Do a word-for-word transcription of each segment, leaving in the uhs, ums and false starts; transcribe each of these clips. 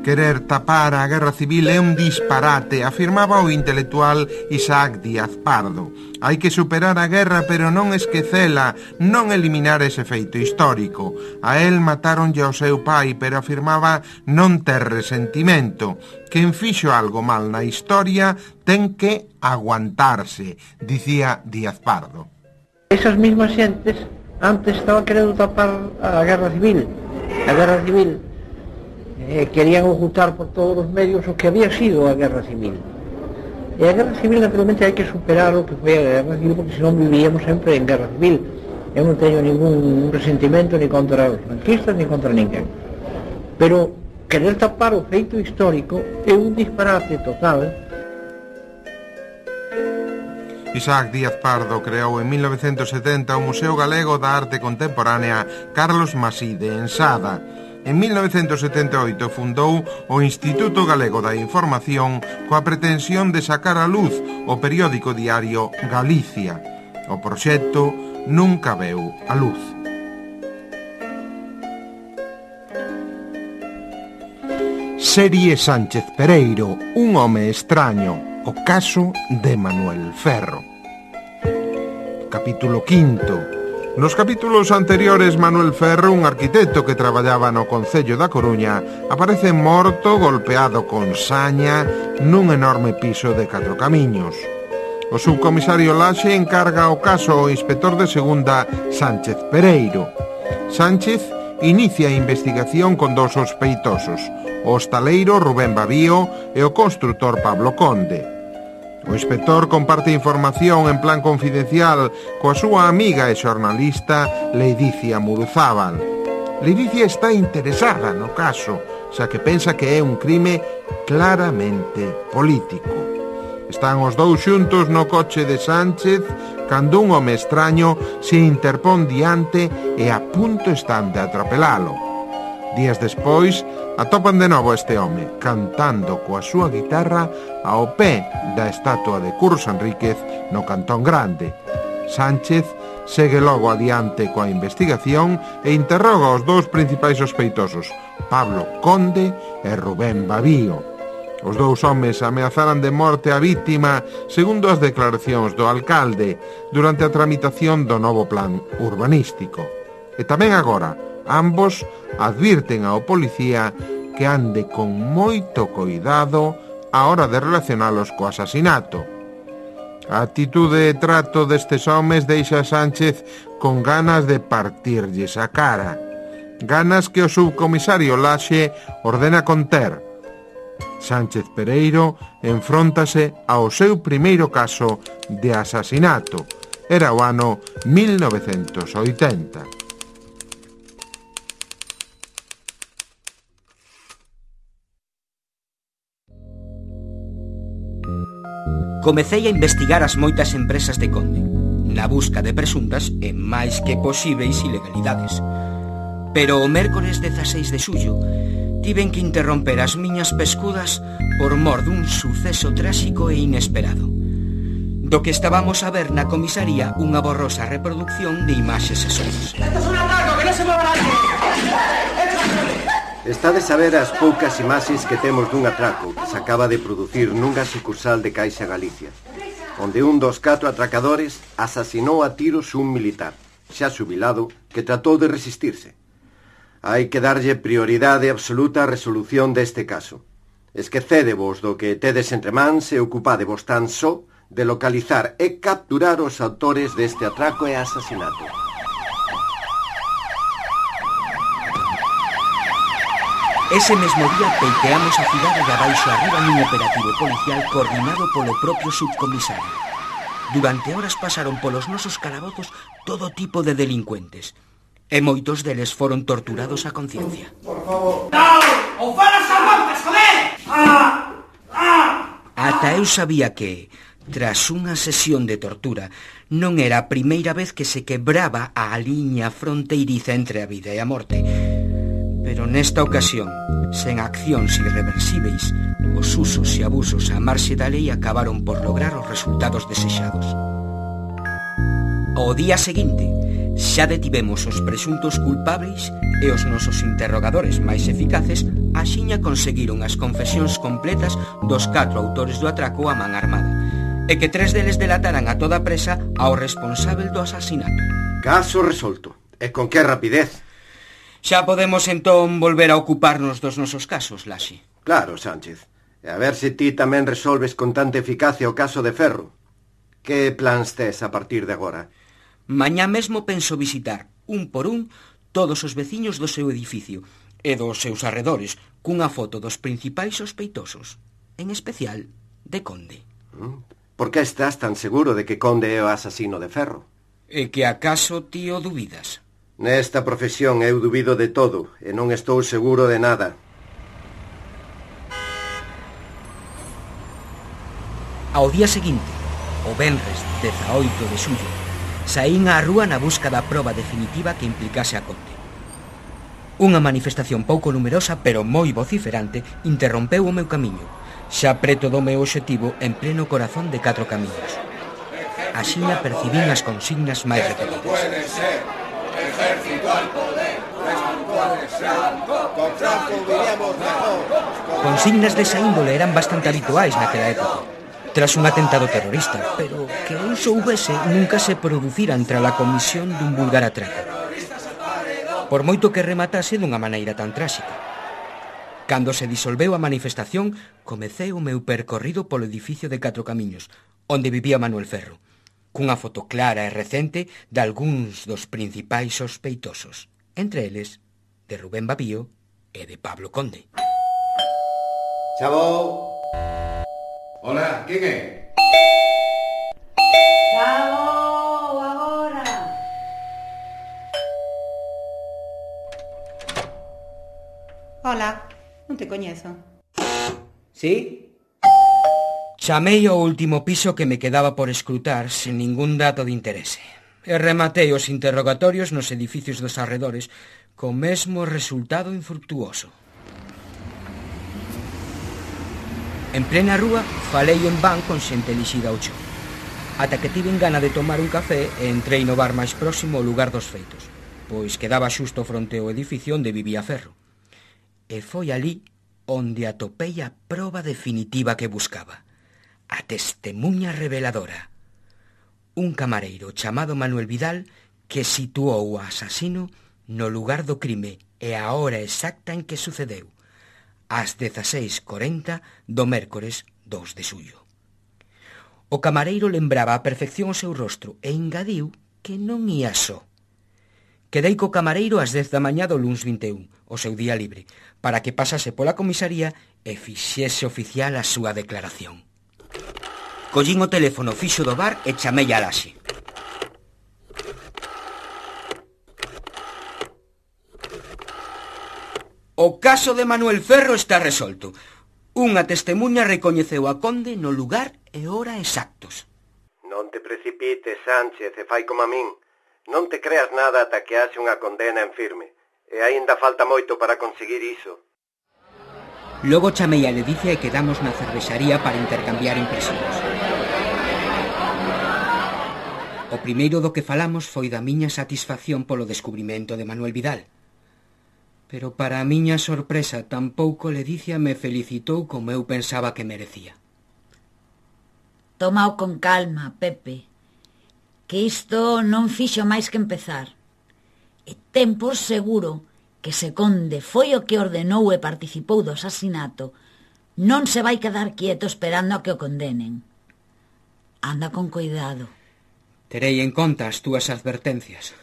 Querer tapar a guerra civil é un disparate, afirmaba o intelectual Isaac Díaz Pardo. Hai que superar a guerra, pero non esquecela, non eliminar ese feito histórico. A él matáronlle ao seu pai, pero afirmaba non ter resentimento. Quen fixo algo mal na historia ten que aguantarse, dicía Díaz Pardo. Esas mismas xentes antes estaban querendo tapar a guerra civil. A guerra civil Eh, querían ocultar por todos os medios o que había sido a guerra civil. E a guerra civil, naturalmente, hai que superar o que foi a guerra civil, porque senón vivíamos sempre en guerra civil. Eu non teño ningún resentimento ni contra os franquistas ni contra ninguén. Pero querer tapar o feito histórico é un disparate total. Isaac Díaz Pardo creou en mil novecentos setenta o Museo Galego da Arte Contemporánea Carlos Masí de Ensada. En mil novecentos setenta e oito fundou o Instituto Galego da Información coa pretensión de sacar a luz o periódico diario Galicia. O proxecto nunca veu a luz. Serie Sánchez Pereiro, un home extraño, o caso de Manuel Ferro. Capítulo quinto. Nos capítulos anteriores, Manuel Ferro, un arquitecto que traballaba no Concello da Coruña, aparece morto, golpeado con saña, nun enorme piso de catro camiños. O subcomisario Laxe encarga o caso ao inspector de segunda Sánchez Pereiro. Sánchez inicia a investigación con dous sospeitosos, o hostaleiro Rubén Babío e o constructor Pablo Conde. O inspector comparte información en plan confidencial coa súa amiga e xornalista Leidicia Muruzábal. Leidicia está interesada no caso, xa que pensa que é un crime claramente político. Están os dous xuntos no coche de Sánchez cando un home extraño se interpón diante e a punto están de atropelalo. Días despois, atopan de novo este home, cantando coa súa guitarra ao pé da estatua de Curros Enríquez no Cantón Grande. Sánchez segue logo adiante coa investigación e interroga os dous principais sospeitosos, Pablo Conde e Rubén Babío. Os dous homes ameazaran de morte a vítima, segundo as declaracións do alcalde, durante a tramitación do novo plan urbanístico. E tamén agora, ambos advirten ao policía que ande con moito coidado á hora de relacionalos co asasinato. A actitude e trato destes homes deixa a Sánchez con ganas de partirlles a cara. Ganas que o subcomisario Laxe ordena conter. Sánchez Pereiro enfróntase ao seu primeiro caso de asasinato. Era o ano mil novecentos oitenta. Comecei a investigar as moitas empresas de Conde, na busca de presuntas e máis que posíveis ilegalidades. Pero o mércores dezaseis de xullo tiven que interromper as miñas pescudas por mor dun suceso tráxico e inesperado, do que estábamos a ver na comisaría unha borrosa reproducción de imaxes e sons. ¡Esto es un atraco, que no se mueva nadie! Estades a ver as poucas imaxes que temos dun atraco que se acaba de producir nunha sucursal de Caixa Galicia, onde un dos catro atracadores asasinou a tiros un militar, xa xubilado, que tratou de resistirse. Hai que darlle prioridade absoluta á resolución deste caso. Esquecédevos do que tedes entre mans e ocupádevos tan só de localizar e capturar os autores deste atraco e asasinato. Ese mesmo día peiteamos a cidade de abaixo arriba nun operativo policial coordinado polo propio subcomisario. Durante horas pasaron polos nosos calabozos todo tipo de delincuentes, e moitos deles foron torturados a conciencia. Por favor. ¡No! ¡O falas a montes, joder! ¡Ah! ¡Ah! Ata eu sabía que, tras unha sesión de tortura, non era a primeira vez que se quebraba a liña fronteiriza entre a vida e a morte. Pero nesta ocasión, sen accións irreversibles, os usos e abusos á marxe da lei acabaron por lograr os resultados desexados. Ao día seguinte, Xa detivemos os presuntos culpables e os nosos interrogadores máis eficaces axiña conseguiron as confesións completas dos catro autores do atraco a man armada e que tres deles delataran a toda presa ao responsável do asasinato. Caso resolto. E con que rapidez. Xa podemos entón volver a ocuparnos dos nosos casos, Laxe. Claro, Sánchez. E a ver se ti tamén resolves con tanta eficacia o caso de Ferro. Que plans tes a partir de agora? Mañá mesmo penso visitar, un por un, todos os veciños do seu edificio e dos seus arredores, cunha foto dos principais sospeitosos, en especial de Conde. Por que estás tan seguro de que Conde é o asasino de Ferro? E que acaso ti o dubidas? Nesta profesión eu dubido de todo e non estou seguro de nada. Ao día seguinte, o venres dezaoito de xullo, saín á rúa na busca da proba definitiva que implicase a Conde. Unha manifestación pouco numerosa, pero moi vociferante, interrompeu o meu camiño, xa preto do meu obxectivo en pleno corazón de Catro Camiños. Axiña percibín as consignas máis repetidas. Ejército al poder, consignas desa índole eran bastante habituais naquela época, tras un atentado terrorista, pero que eu soubese nunca se producira entre a comisión dun vulgar atraco, por moito que rematase dunha maneira tan tráxica. Cando se disolveu a manifestación, comecei o meu percorrido polo edificio de Catro Camiños, onde vivía Manuel Ferro, cunha foto clara e recente de algúns dos principais sospeitosos, entre eles de Rubén Babío e de Pablo Conde. Chavo. Hola, quen é? Chavo, agora. Hola, non te coñezo. Sí? Chamei ao último piso que me quedaba por escrutar sen ningún dato de interese. E rematei os interrogatorios nos edificios dos arredores co mesmo resultado infructuoso. En plena rúa, falei en van con xente elixida ao chón, ata que tiven gana de tomar un café e entrei no bar máis próximo ao lugar dos feitos, pois quedaba xusto fronte ao edificio onde vivía Ferro. E foi ali onde atopei a proba definitiva que buscaba, a testemunha reveladora. Un camareiro chamado Manuel Vidal que situou o asasino no lugar do crime e a hora exacta en que sucedeu, ás dezaseis corenta do mércores dous de xullo. O camareiro lembraba a perfección o seu rostro e engadiu que non ía só. Quedei co camareiro ás dez da mañá do luns vinte e un, o seu día libre, para que pasase pola comisaría e fixese oficial a súa declaración. Collín o teléfono fixo do bar e chamei a Laxe. O caso de Manuel Ferro está resolto. Unha testemunha recoñeceu a Conde no lugar e hora exactos. Non te precipites, Sánchez, e fai como a min. Non te creas nada ata que haxe unha condena en firme. E aínda falta moito para conseguir iso. Logo chamei a Ledicia e quedamos na cervexaría para intercambiar impresións. O primeiro do que falamos foi da miña satisfacción polo descubrimento de Manuel Vidal. Pero para a miña sorpresa tampouco Ledicia me felicitou como eu pensaba que merecía. Tómao con calma, Pepe, que isto non fixo máis que empezar. E ten por seguro que se Conde foi o que ordenou e participou do asasinato, non se vai quedar quieto esperando a que o condenen. Anda con cuidado. Terei en conta as túas advertencias.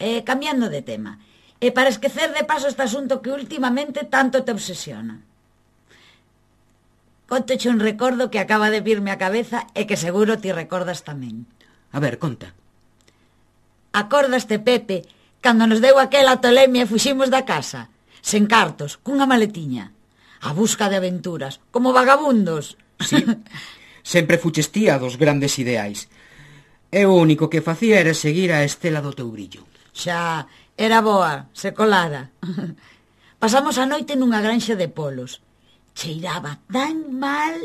E cambiando de tema, e para esquecer de paso este asunto que últimamente tanto te obsesiona. Contoche un recordo que acaba de virme á cabeza e que seguro ti recordas tamén. A ver, conta. Acordaste, Pepe, cando nos deu aquela tolemia e fuximos da casa, sen cartos, cunha maletiña, a busca de aventuras, como vagabundos? Sí, sempre fuches tía dos grandes ideais. E o único que facía era seguir a estela do teu brillo. Xa, era boa, se colara. Pasamos a noite nunha granxa de polos. Cheiraba tan mal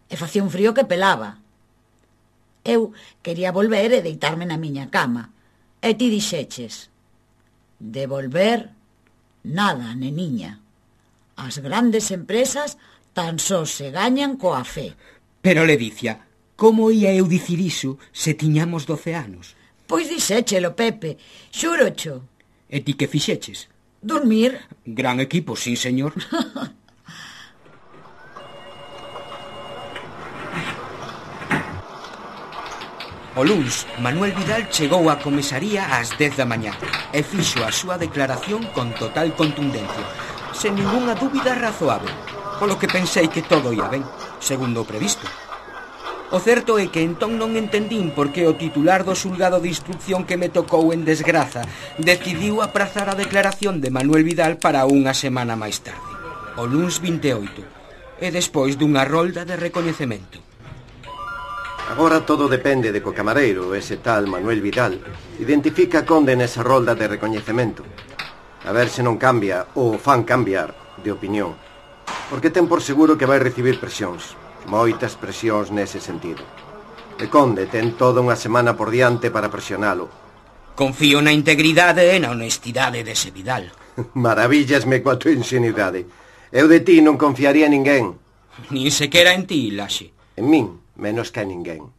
e facía un frío que pelaba. Eu quería volver e deitarme na miña cama, E ti dixeches: devolver nada, neniña. As grandes empresas tan só se gañan coa fe. Pero, Ledicia, como ia eu dicir iso se tiñamos doce anos? Pois dixéchelo, Pepe, xúrocho. E ti que fixeches? Dormir. Gran equipo, sí, señor. O luns, Manuel Vidal chegou á comisaría ás dez da mañá e fixo a súa declaración con total contundencia, sen ningunha dúbida razoável, polo que pensei que todo ia ben, segundo o previsto. O certo é que entón non entendín por que o titular do xulgado de instrucción que me tocou en desgraza decidiu aprazar a declaración de Manuel Vidal para unha semana máis tarde, o luns vinte e oito, e despois dunha rolda de recoñecemento. Agora todo depende de que o camareiro, ese tal Manuel Vidal, identifica a Conde nesa rolda de recoñecemento. A ver se non cambia, ou fan cambiar, de opinión. Porque ten por seguro que vai recibir presións. Moitas presións nese sentido. E Conde ten toda unha semana por diante para presionalo. Confío na integridade e na honestidade dese Vidal. Maravillasme coa tua ingenuidade. Eu de ti non confiaría en ninguén. Nin sequera en ti, Laxe. En min, menos que a ninguén.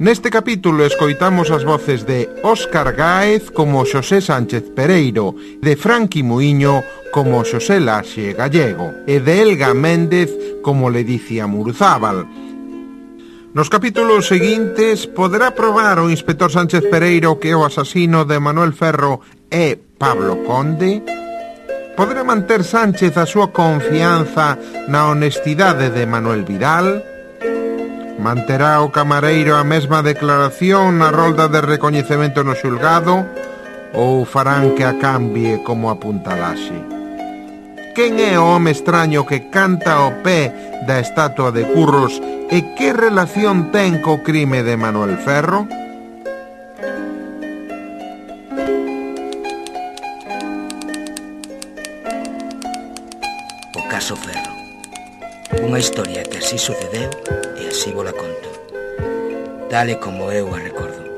Neste capítulo escoitamos as voces de Óscar Gáez como Xosé Sánchez Pereiro, de Franqui Muiño como Xosé Laxe Gallego e de Elga Méndez como Ledicia Muruzábal. Nos capítulos seguintes poderá probar o inspector Sánchez Pereiro que o asasino de Manuel Ferro é Pablo Conde? Poderá manter Sánchez a súa confianza na honestidade de Manuel Vidal? Manterá o camareiro a mesma declaración na rolda de recoñecemento no xulgado ou farán que a cambie como apunta Laxe? Quen é o home extraño que canta ao pé da estatua de Curros e que relación ten co crime de Manuel Ferro? O caso Ferro. Unha historia que así sucedeu e así vos la conto, tal e como eu a recordo.